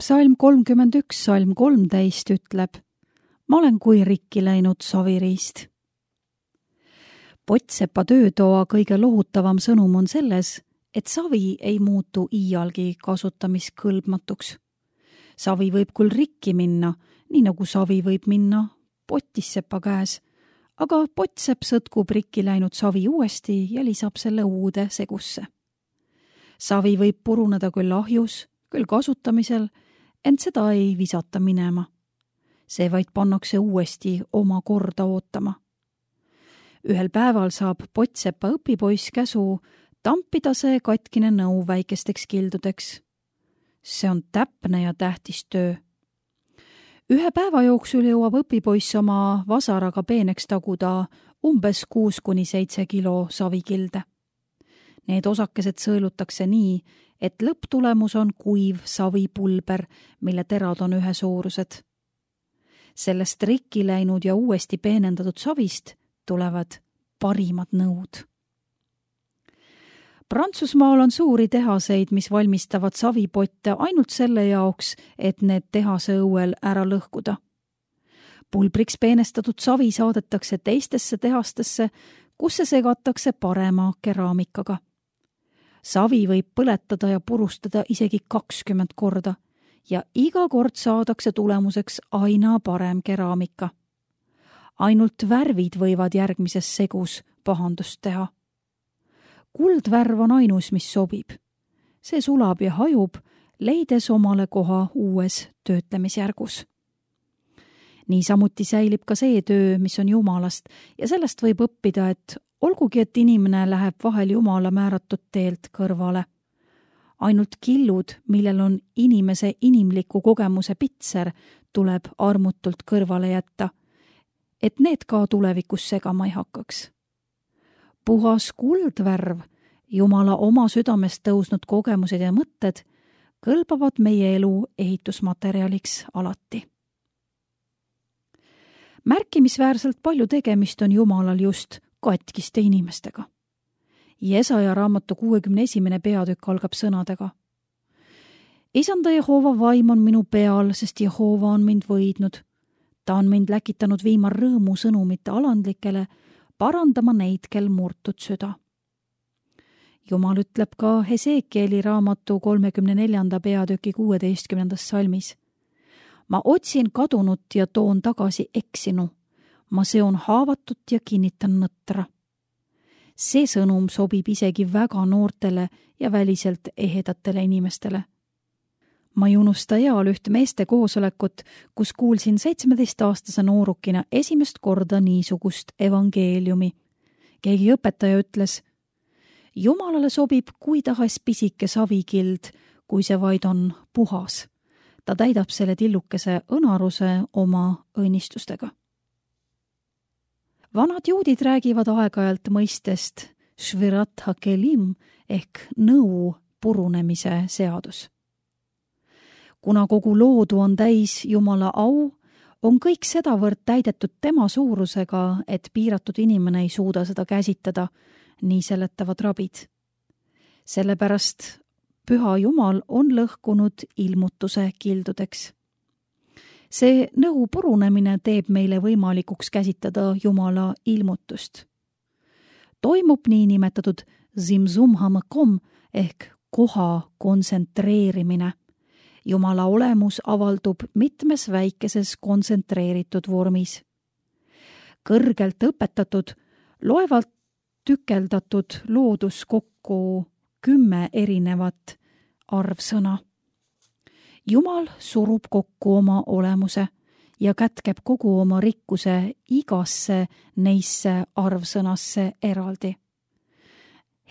Psalm 31, salm 13 ütleb: ma olen kui rikki läinud saviriist. Pottsepa töötoa kõige lohutavam sõnum on selles, et savi ei muutu iialgi kasutamiskõlbmatuks. Savi võib küll rikki minna, nii nagu savi võib minna potissepa käes, aga pottsepp sõtkub rikki läinud savi uuesti ja lisab selle uude segusse. Savi võib puruneda küll ahjus, küll kasutamisel, ent seda ei visata minema. See vaid pannakse uuesti oma korda ootama. Ühel päeval saab pottsepa õpipoiss käsu tampida see katkine nõu väikesteks kildudeks. See on täpne ja tähtis töö. Ühe päeva jooksul jõuab õpipoiss oma vasaraga peeneks taguda umbes 6–7 kilo savikilde. Need osakesed sõelutakse nii, et lõpptulemus on kuiv savipulber, mille terad on ühesuurused. Sellest rikki läinud ja uuesti peenendatud savist tulevad parimad nõud. Prantsusmaal on suuri tehaseid, mis valmistavad savipotte ainult selle jaoks, et need tehase õuel ära lõhkuda. Pulbriks peenestatud savi saadetakse teistesse tehastesse, kus see segatakse parema keraamikaga. Savi võib põletada ja purustada isegi 20 korda ja iga kord saadakse tulemuseks aina parem keraamika. Ainult värvid võivad järgmises segus pahandust teha. Kuldvärv on ainus, mis sobib. See sulab ja hajub, leides omale koha uues töötlemisjärgus. Niisamuti säilib ka see töö, mis on Jumalast, ja sellest võib õppida, et olgugi, et inimene läheb vahel Jumala määratud teelt kõrvale. Ainult killud, millel on inimese inimliku kogemuse pitser, tuleb armutult kõrvale jätta, et need ka tulevikus segama ei hakkaks. Puhas kuldvärv, Jumala oma südamest tõusnud kogemused ja mõtted kõlbavad meie elu ehitusmaterjaliks alati. Märkimisväärselt palju tegemist on Jumalal just katkiste inimestega. Jesaja raamatu 61. peatükk algab sõnadega: Isanda Jehova vaim on minu peal, sest Jehova on mind võidnud. Ta on mind läkitanud viima rõõmu sõnumite alandlikele, parandama neid, kel murtud süda. Jumal ütleb ka Hesekieli raamatu 34. peatüki 16. salmis: ma otsin kadunut ja toon tagasi eksinu. Ma seon haavatut ja kinnitan nõtra. See sõnum sobib isegi väga noortele ja väliselt ehedatele inimestele. Ma ei unusta eal üht meeste koosolekut, kus kuulsin 17-aastase noorukina esimest korda niisugust evangeeliumi. Keegi õpetaja ütles: Jumalale sobib kui tahes pisike savikild, kui see vaid on puhas. Ta täidab selle tillukese õnaruse oma õnnistustega. Vanad juudid räägivad aeg-ajalt mõistest švirat hakelim ehk nõu purunemise seadus. Kuna kogu loodu on täis Jumala au, on kõik sedavõrd täidetud tema suurusega, et piiratud inimene ei suuda seda käsitada, nii seletavad rabid. Sellepärast Püha Jumal on lõhkunud ilmutuse kildudeks. See nõu purunemine teeb meile võimalikuks käsitada Jumala ilmutust. Toimub niinimetatud zimzum hamakom ehk koha kontsentreerimine. Jumala olemus avaldub mitmes väikeses kontsentreeritud vormis. Kõrgelt õpetatud, loevalt tükeldatud loodus kokku 10 erinevat arvsõna. Jumal surub kokku oma olemuse ja kätkeb kogu oma rikkuse igasse neisse arvsõnasse eraldi.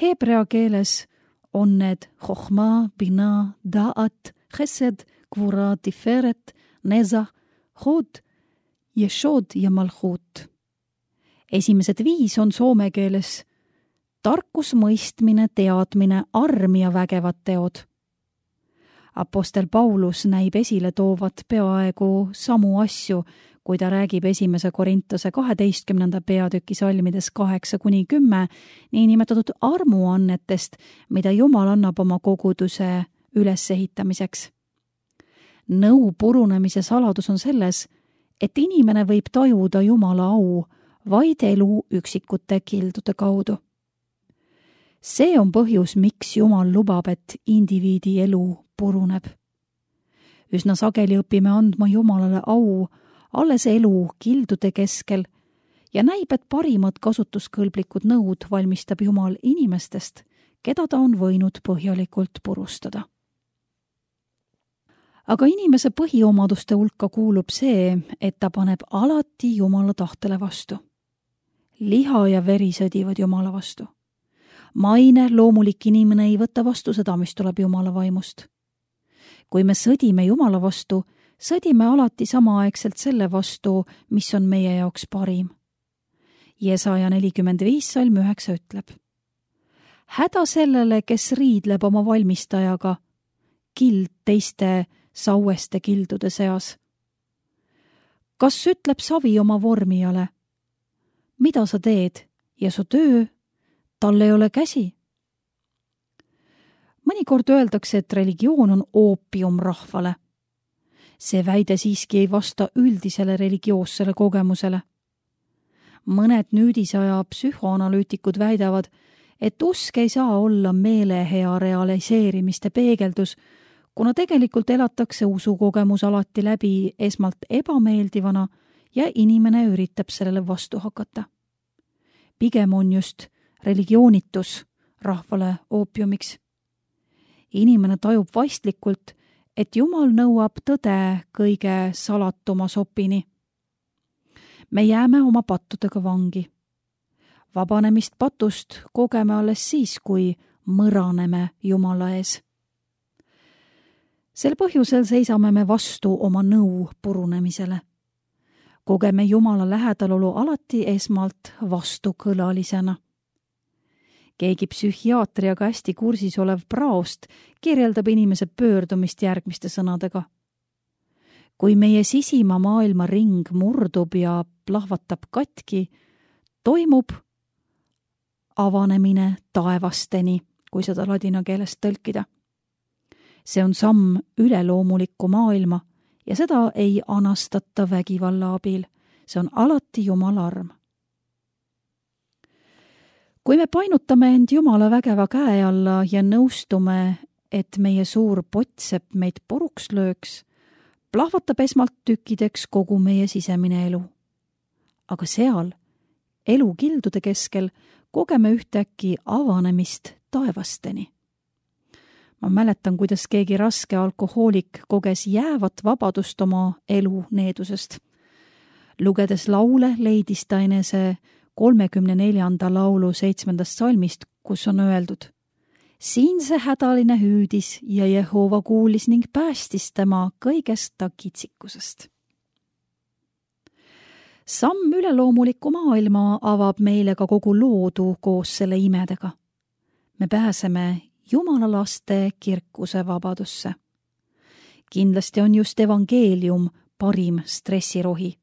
Hebrea keeles on need chochma, bina, da'at, chesed, kvura, tiferet, nezah, hod, jeshod ja malchut. Esimesed 5 on soome keeles tarkus, mõistmine, teadmine, arm ja vägevad teod. Apostel Paulus näib esile toovat peaaegu samu asju, kui ta räägib 1. Korintuse 12. peatüki salmides 8–10 niinimetatud armuannetest, mida Jumal annab oma koguduse ülesehitamiseks. Nõu purunemise saladus on selles, et inimene võib tajuda Jumala au vaid elu üksikute kildude kaudu. See on põhjus, miks Jumal lubab, et indiviidi elu puruneb. Üsna sageli õpime andma Jumalale au alles elu kildude keskel ja näib, et parimad kasutuskõlblikud nõud valmistab Jumal inimestest, keda ta on võinud põhjalikult purustada. Aga inimese põhiomaduste hulka kuulub see, et ta paneb alati Jumala tahtele vastu. Liha ja veri sõdivad Jumala vastu. Maine loomulik inimene ei võta vastu seda, mis tuleb Jumala vaimust. Kui me sõdime Jumala vastu, sõdime alati samaaegselt selle vastu, mis on meie jaoks parim. Jesaja 45 salm 9 ütleb: häda sellele, kes riidleb oma valmistajaga, kild teiste saueste kildude seas. Kas ütleb savi oma vormijale: mida sa teed ja su töö, tal ei ole käsi? Mõnikord öeldakse, et religioon on oopium rahvale. See väide siiski ei vasta üldisele religioossele kogemusele. Mõned nüüdisaja psühhoanalüütikud väidavad, et usk ei saa olla meelehea realiseerimiste peegeldus, kuna tegelikult elatakse usukogemus alati läbi esmalt ebameeldivana ja inimene üritab sellele vastu hakata. Pigem on just religioonitus rahvale oopiumiks. Inimene tajub vaistlikult, et Jumal nõuab tõde kõige salatuma sopini. Me jääme oma pattudega vangi. Vabanemist patust kogeme alles siis, kui mõraneme Jumala ees. Sel põhjusel seisame me vastu oma nõu purunemisele. Kogeme Jumala lähedalolu alati esmalt vastukõlalisena. Keegi psühhiaatriaga hästi kursis olev Praost kirjeldab inimese pöördumist järgmiste sõnadega. Kui meie sisima maailma ring murdub ja plahvatab katki, toimub avanemine taevasteni, kui seda ladina keelest tõlkida. See on samm üleloomulikku maailma ja seda ei anastata vägivalla abil. See on alati Jumala arm. Kui me painutame end Jumala vägeva käe alla ja nõustume, et meie suur pottsepp meid puruks lööks, plahvatab esmalt tükkideks kogu meie sisemine elu. Aga seal, elu kildude keskel, kogeme ühtäkki avanemist taevasteni. Ma mäletan, kuidas keegi raske alkohoolik koges jäävat vabadust oma elu needusest. Lugedes laule leidis ta enese 34. laulu 7. salmist, kus on öeldud: siin see hädaline hüüdis ja Jehova kuulis ning päästis tema kõigest ta kitsikusest. Samm üleloomuliku maailma avab meile ka kogu loodu koos selle imedega. Me pääseme Jumala laste kirkuse vabadusse. Kindlasti on just evangeelium parim stressirohi.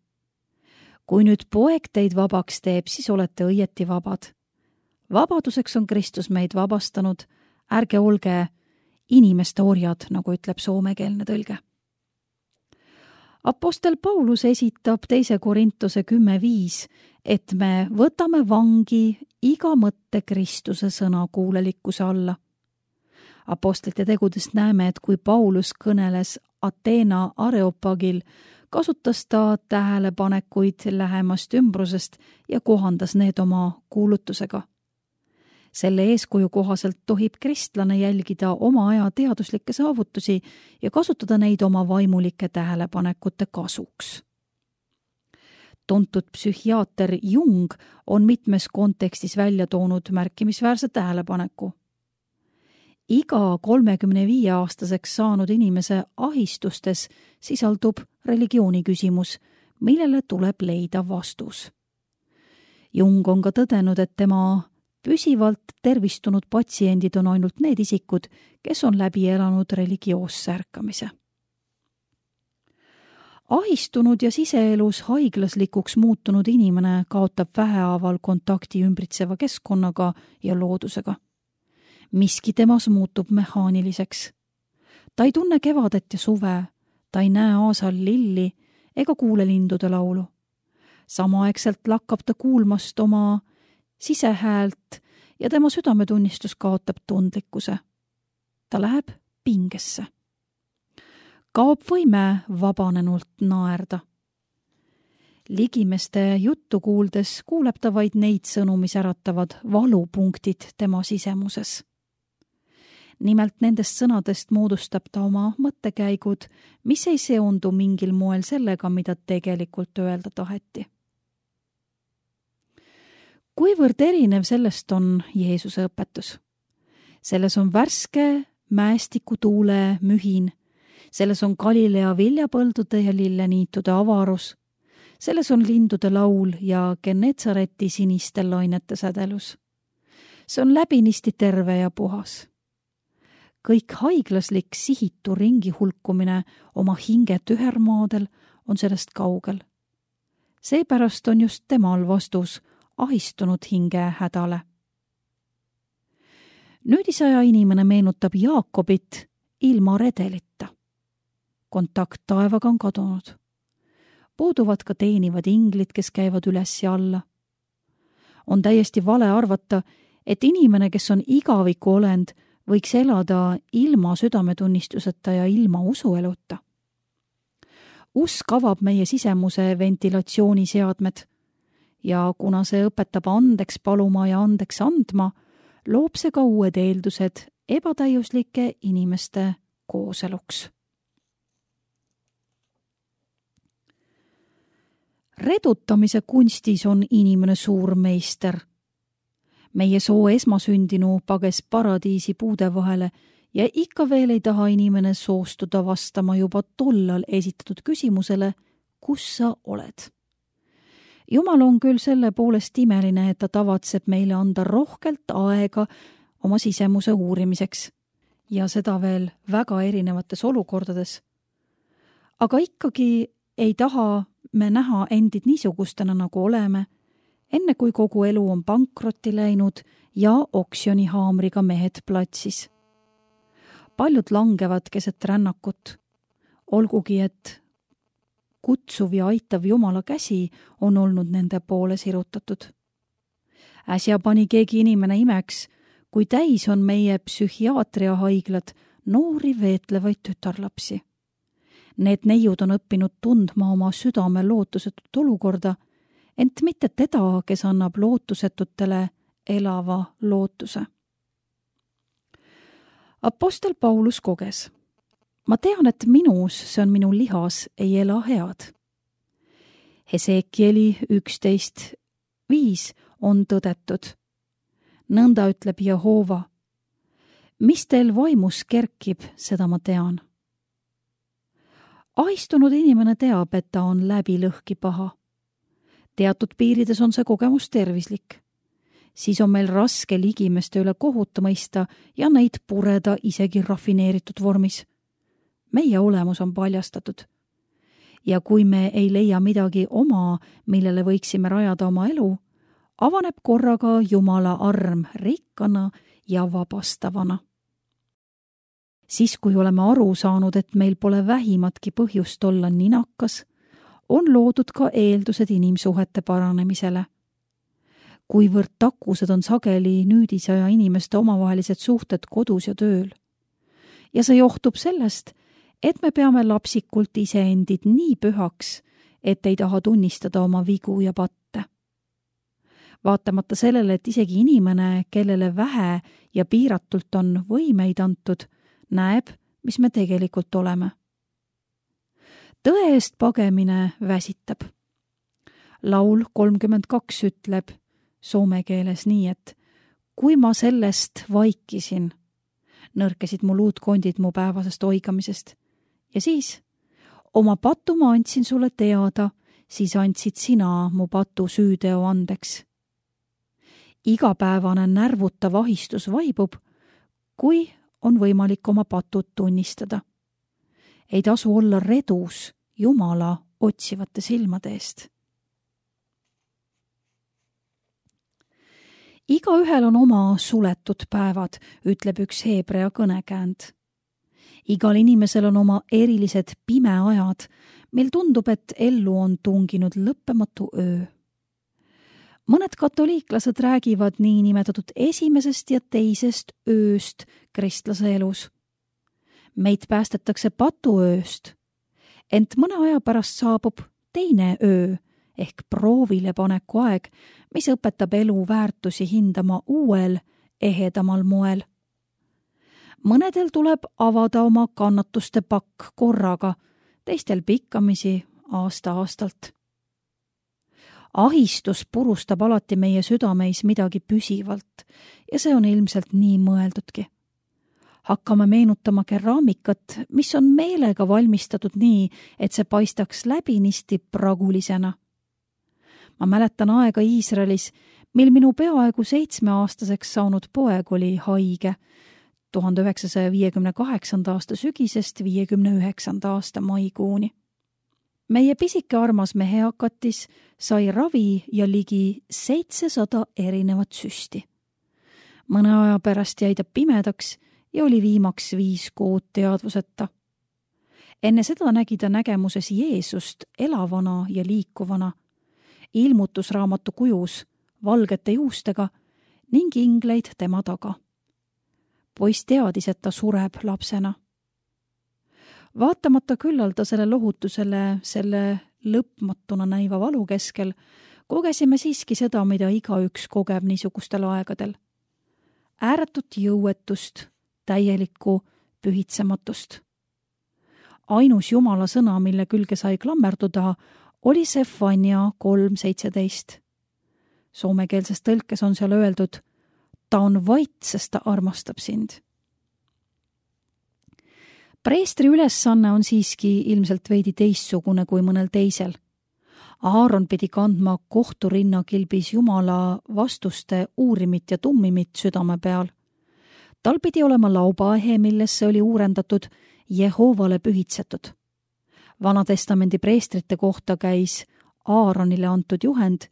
Kui nüüd poeg teid vabaks teeb, siis olete õieti vabad. Vabaduseks on Kristus meid vabastanud, ärge olge inimeste orjad, nagu ütleb soomekeelne tõlge. Apostel Paulus esitab 2. Korintuse 10.5, et me võtame vangi iga mõtte Kristuse sõna kuulelikkuse alla. Apostlite tegudest näeme, et kui Paulus kõneles Ateena Areopagil, kasutas ta tähelepanekuid lähemast ümbrusest ja kohandas need oma kuulutusega. Selle eeskuju kohaselt tohib kristlane jälgida oma aja teaduslikke saavutusi ja kasutada neid oma vaimulike tähelepanekute kasuks. Tuntud psühhiaater Jung on mitmes kontekstis välja toonud märkimisväärse tähelepaneku. Iga 35-aastaseks saanud inimese ahistustes sisaldub religiooni küsimus, millele tuleb leida vastus. Jung on ka tõdenud, et tema püsivalt tervistunud patsiendid on ainult need isikud, kes on läbi elanud religioosse ärkamise. Ahistunud ja siseelus haiglaslikuks muutunud inimene kaotab vähehaaval kontakti ümbritseva keskkonnaga ja loodusega. Miski temas muutub mehaaniliseks. Ta ei tunne kevadet ja suve, Ta ei näe aasal lilli ega kuule lindude laulu. Samaaegselt lakkab ta kuulmast oma sisehäält ja tema südametunnistus kaotab tundlikkuse. Ta läheb pingesse. Kaob võime vabanenult naerda. Ligimeste juttu kuuldes kuuleb ta vaid neid sõnu, mis äratavad valupunktid tema sisemuses. Nimelt nendest sõnadest moodustab ta oma mõttekäigud, mis ei seondu mingil moel sellega, mida tegelikult öelda taheti. Kuivõrd erinev sellest on Jeesuse õpetus? Selles on värske mäestikutuule mühin, selles on Galilea viljapõldude ja lilleniitude avarus, selles on lindude laul ja Genetsareti siniste lainete sädelus. See on läbinisti terve ja puhas. Kõik haiglaslik sihitu ringi hulkumine oma hinge tühermaadel on sellest kaugel. Seepärast on just temal vastus ahistunud hinge hädale. Nüüdisaja inimene meenutab Jaakobit ilma redelita. Kontakt taevaga on kadunud. Puuduvad ka teenivad inglid, kes käivad üles ja alla. On täiesti vale arvata, et inimene, kes on igaviku olend, võiks elada ilma südametunnistuseta ja ilma usueluta. Usk avab meie sisemuse ventilatsiooniseadmed ja kuna see õpetab andeks paluma ja andeks andma, loob see ka uued eeldused ebatäiuslike inimeste kooseluks. Redutamise kunstis on inimene suur meister. Meie soo esmasündinu pages paradiisi puude vahele ja ikka veel ei taha inimene soostuda vastama juba tollal esitatud küsimusele, kus sa oled. Jumal on küll selle poolest imeline, et ta tavatseb meile anda rohkelt aega oma sisemuse uurimiseks ja seda veel väga erinevates olukordades. Aga ikkagi ei taha me näha endid niisugustena, nagu oleme, enne kui kogu elu on pankrotti läinud ja oksjonihaamriga mehed platsis. Paljud langevad keset rännakut, olgugi et kutsuv ja aitav Jumala käsi on olnud nende poole sirutatud. Äsja pani keegi inimene imeks, kui täis on meie psühhiaatriahaiglad noori veetlevaid tütarlapsi. Need neiud on õppinud tundma oma südame lootusetut olukorda, ent mitte teda, kes annab lootusetutele elava lootuse. Apostel Paulus koges. Ma tean, et minus, see on minu lihas, ei ela head. Hesekieli 11:5 on tõdetud. Nõnda ütleb Jehova. Mis teil vaimus kerkib, seda ma tean. Ahistunud inimene teab, et ta on läbi lõhki paha. Teatud piirides on see kogemus tervislik. Siis on meil raske ligimeste üle kohut mõista ja neid pureda isegi rafineeritud vormis. Meie olemus on paljastatud. Ja kui me ei leia midagi oma, millele võiksime rajada oma elu, avaneb korraga Jumala arm rikkana ja vabastavana. Siis, kui oleme aru saanud, et meil pole vähimatki põhjust olla ninakas, on loodud ka eeldused inimsuhete paranemisele. Kuivõrd takused on sageli nüüdisaja inimeste omavahelised suhted kodus ja tööl. Ja see johtub sellest, et me peame lapsikult iseendid nii pühaks, et ei taha tunnistada oma vigu ja patte. Vaatamata sellele, et isegi inimene, kellele vähe ja piiratult on võimeid antud, näeb, mis me tegelikult oleme. Tõe eest pagemine väsitab. Laul 32 ütleb soome keeles nii, et kui ma sellest vaikisin, nõrkesid mu luutkondid mu päevasest oigamisest. Ja siis, oma patu ma andsin sulle teada, siis andsid sina mu patu süüteo andeks. Igapäevane närvutav ahistus vaibub, kui on võimalik oma patud tunnistada. Ei tasu olla redus Jumala otsivate silmade eest. Igaühel on oma suletud päevad, ütleb üks Heebrea kõnekäänd. Igal inimesel on oma erilised pimeajad, mil tundub, et ellu on tunginud lõppematu öö. Mõned katoliiklased räägivad niinimetatud esimesest ja teisest ööst kristlase elus. Meid päästetakse patuööst, ent mõne aja pärast saabub teine öö ehk proovile paneku aeg, mis õpetab elu väärtusi hindama uuel, ehedamal moel. Mõnedel tuleb avada oma kannatuste pakk korraga, teistel pikkamisi aasta-aastalt. Ahistus purustab alati meie südameis midagi püsivalt ja see on ilmselt nii mõeldudki. Hakkame meenutama keraamikat, mis on meelega valmistatud nii, et see paistaks läbinisti pragulisena. Ma mäletan aega Iisraelis, mil minu peaaegu 7-aastaseks saanud poeg oli haige 1958. aasta sügisest 59. aasta maikuuni. Meie pisike armas mehehakatis sai ravi ja ligi 700 erinevat süsti. Mõne aja pärast jäi ta pimedaks ja oli viimaks 5 kuud teadvuseta. Enne seda nägi ta nägemuses Jeesust elavana ja liikuvana, ilmutusraamatu kujus, valgete juustega ning ingleid tema taga. Poiss teadis, et ta sureb lapsena. Vaatamata küllaldasele lohutusele selle lõpmatuna näiva valu keskel, kogesime siiski seda, mida igaüks kogeb niisugustel aegadel. Ääretut jõuetust, täielikku pühitsematust. Ainus Jumala sõna, mille külge sai klammerduda, oli Sefania 3.17. Soomekeelses tõlkes on seal öeldud, ta on vait, sest ta armastab sind. Preestri ülesanne on siiski ilmselt veidi teistsugune kui mõnel teisel. Aaron pidi kandma kohturinnakilbis Jumala vastuste uurimit ja tummimit südame peal. Tal pidi olema laubaahe, millesse oli uurendatud Jehoovale pühitsetud. Vanatestamendi preestrite kohta käis Aaronile antud juhend.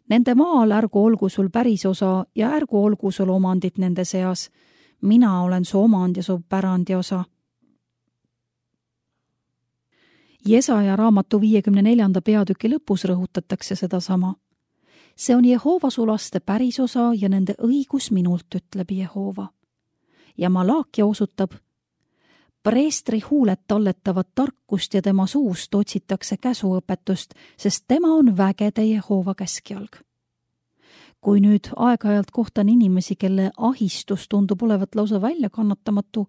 Nende maal ärgu olgu sul pärisosa ja ärgu olgu sul omandit nende seas. Mina olen su omand ja su pärandi osa. Jesaja raamatu 54. peatüki lõpus rõhutatakse sedasama. See on Jehoova su laste pärisosa ja nende õigus minult, ütleb Jehoova. Ja Malaakia osutab, preestri huuled talletavad tarkust ja tema suust otsitakse käsuõpetust, sest tema on vägede Jehoova käskjalg. Kui nüüd aeg-ajalt kohtan inimesi, kelle ahistus tundub olevat lausa väljakannatamatu,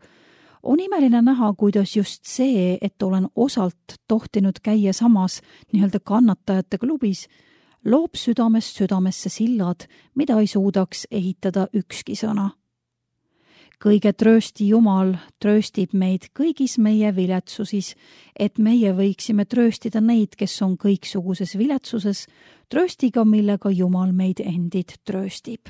on imeline näha, kuidas just see, et olen osalt tohtinud käia samas nii-öelda kannatajate klubis, loob südamest südamesse sillad, mida ei suudaks ehitada ükski sõna. Kõige tröösti Jumal trööstib meid kõigis meie viletsusis, et meie võiksime trööstida neid, kes on kõiksuguses viletsuses, trööstiga, millega Jumal meid endid trööstib.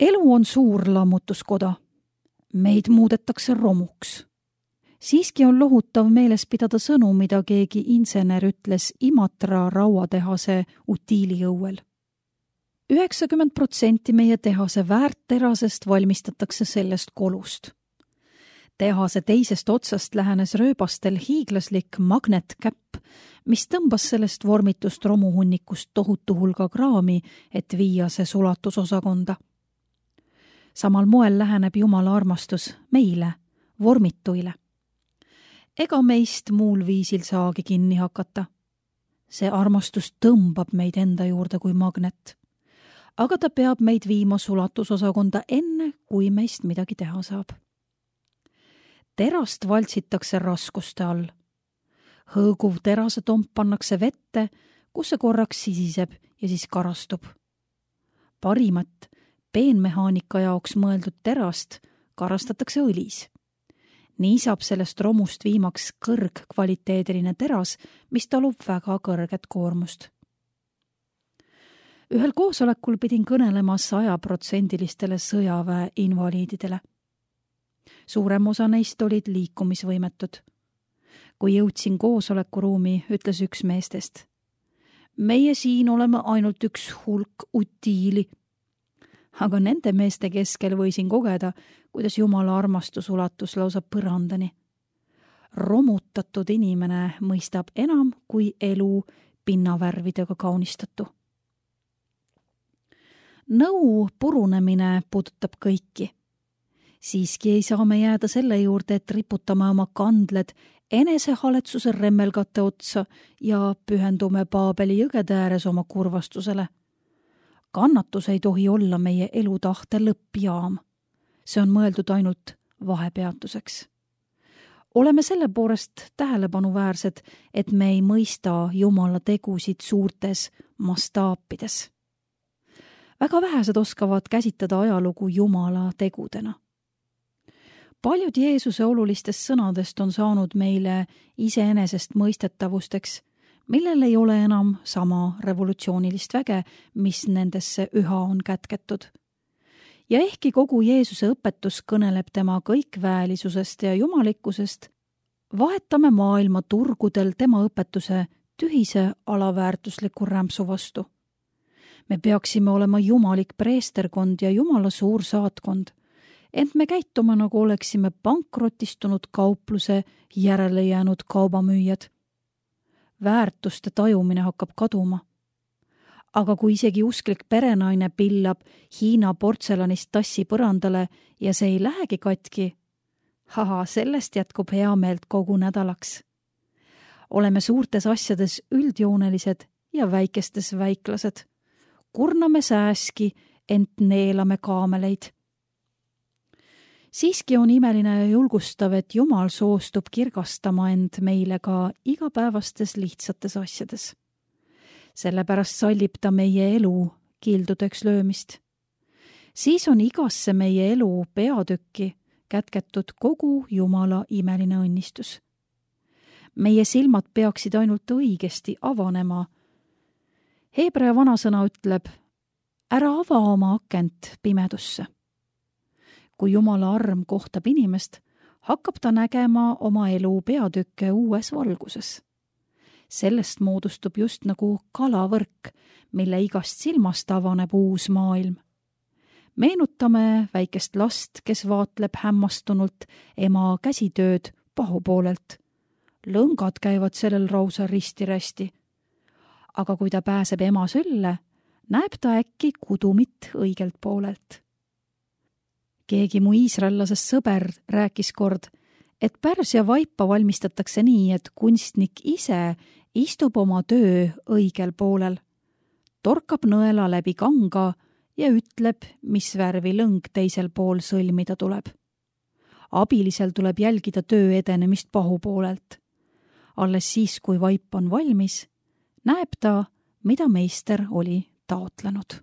Elu on suur lammutuskoda. Meid muudetakse romuks. Siiski on lohutav meeles pidada sõnu, mida keegi insener ütles Imatra rauatehase utiiliõuel. 90% meie tehase väärtterasest valmistatakse sellest kolust. Tehase teisest otsast lähenes rööbastel hiiglaslik magnetkäpp, mis tõmbas sellest vormitust romuhunnikust tohutu hulga kraami, et viia see sulatusosakonda. Samal moel läheneb Jumala armastus meile, vormituile. Ega meist muul viisil saagi kinni hakata. See armastus tõmbab meid enda juurde kui magnet. Aga ta peab meid viima sulatusosakonda enne, kui meist midagi teha saab. Terast valtsitakse raskuste all. Hõõguv terasetomp pannakse vette, kus see korraks sisiseb ja siis karastub. Parimat peenmehaanika jaoks mõeldud terast karastatakse õlis. Nii saab sellest romust viimaks kõrgkvaliteediline teras, mis talub väga kõrget koormust. Ühel koosolekul pidin kõnelema 100% sõjaväe invaliididele. Suurem osa neist olid liikumisvõimetud. Kui jõudsin koosolekuruumi, ütles üks meestest. Meie siin oleme ainult üks hulk utiili. aga nende meeste keskel võisin kogeda, kuidas Jumala armastus ulatus lausa põrandani. Romutatud inimene mõistab enam kui elu pinnavärvidega kaunistatu. Nõu purunemine puudutab kõiki. Siiski ei saa me jääda selle juurde, et riputame oma kandled enesehaletsuse remmelgate otsa ja pühendume Paabeli jõgede ääres oma kurvastusele. Kannatus ei tohi olla meie elutahte lõppjaam. See on mõeldud ainult vahepeatuseks. Oleme selle poolest tähelepanuväärsed, et me ei mõista Jumala tegusid suurtes mastaapides. Väga vähesed oskavad käsitleda ajalugu Jumala tegudena. Paljud Jeesuse olulistest sõnadest on saanud meile iseenesest mõistetavusteks, millel ei ole enam sama revolutsioonilist väge, mis nendesse üha on kätketud. Ja ehkki kogu Jeesuse õpetus kõneleb tema kõikväelisusest ja jumalikkusest, vahetame maailma turgudel tema õpetuse tühise alaväärtusliku rämpsu vastu. Me peaksime olema jumalik preesterkond ja Jumala suur saatkond, ent me käitume, nagu oleksime pankrotistunud kaupluse järele jäänud kaubamüüjad. Väärtuste tajumine hakkab kaduma. Aga kui isegi usklik perenaine pillab Hiina portselanist tassi põrandale ja see ei lähegi katki, sellest jätkub heameelt kogu nädalaks. Oleme suurtes asjades üldjoonelised ja väikestes väiklased. Kurname sääski, ent neelame kaameleid. Siiski on imeline ja julgustav, et Jumal soostub kirgastama end meile ka igapäevastes lihtsates asjades. Sellepärast sallib ta meie elu kildudeks löömist. Siis on igasse meie elu peatükki kätketud kogu Jumala imeline õnnistus. Meie silmad peaksid ainult õigesti avanema. Heebrea vanasõna ütleb, ära ava oma akent pimedusse. Kui Jumala arm kohtab inimest, hakkab ta nägema oma elu peatükke uues valguses. Sellest moodustub just nagu kalavõrk, mille igast silmast avaneb uus maailm. Meenutame väikest last, kes vaatleb hämmastunult ema käsitööd pahupoolelt. Lõngad käivad sellel rausa risti-rästi. Aga kui ta pääseb ema sülle, näeb ta äkki kudumit õigelt poolelt. Keegi mu iisraellasest sõber rääkis kord, et Pärsia vaipa valmistatakse nii, et kunstnik ise istub oma töö õigel poolel, torkab nõela läbi kanga ja ütleb, mis värvi lõng teisel pool sõlmida tuleb. Abilisel tuleb jälgida töö edenemist pahupoolelt. Alles siis, kui vaip on valmis, näeb ta, mida meister oli taotlenud.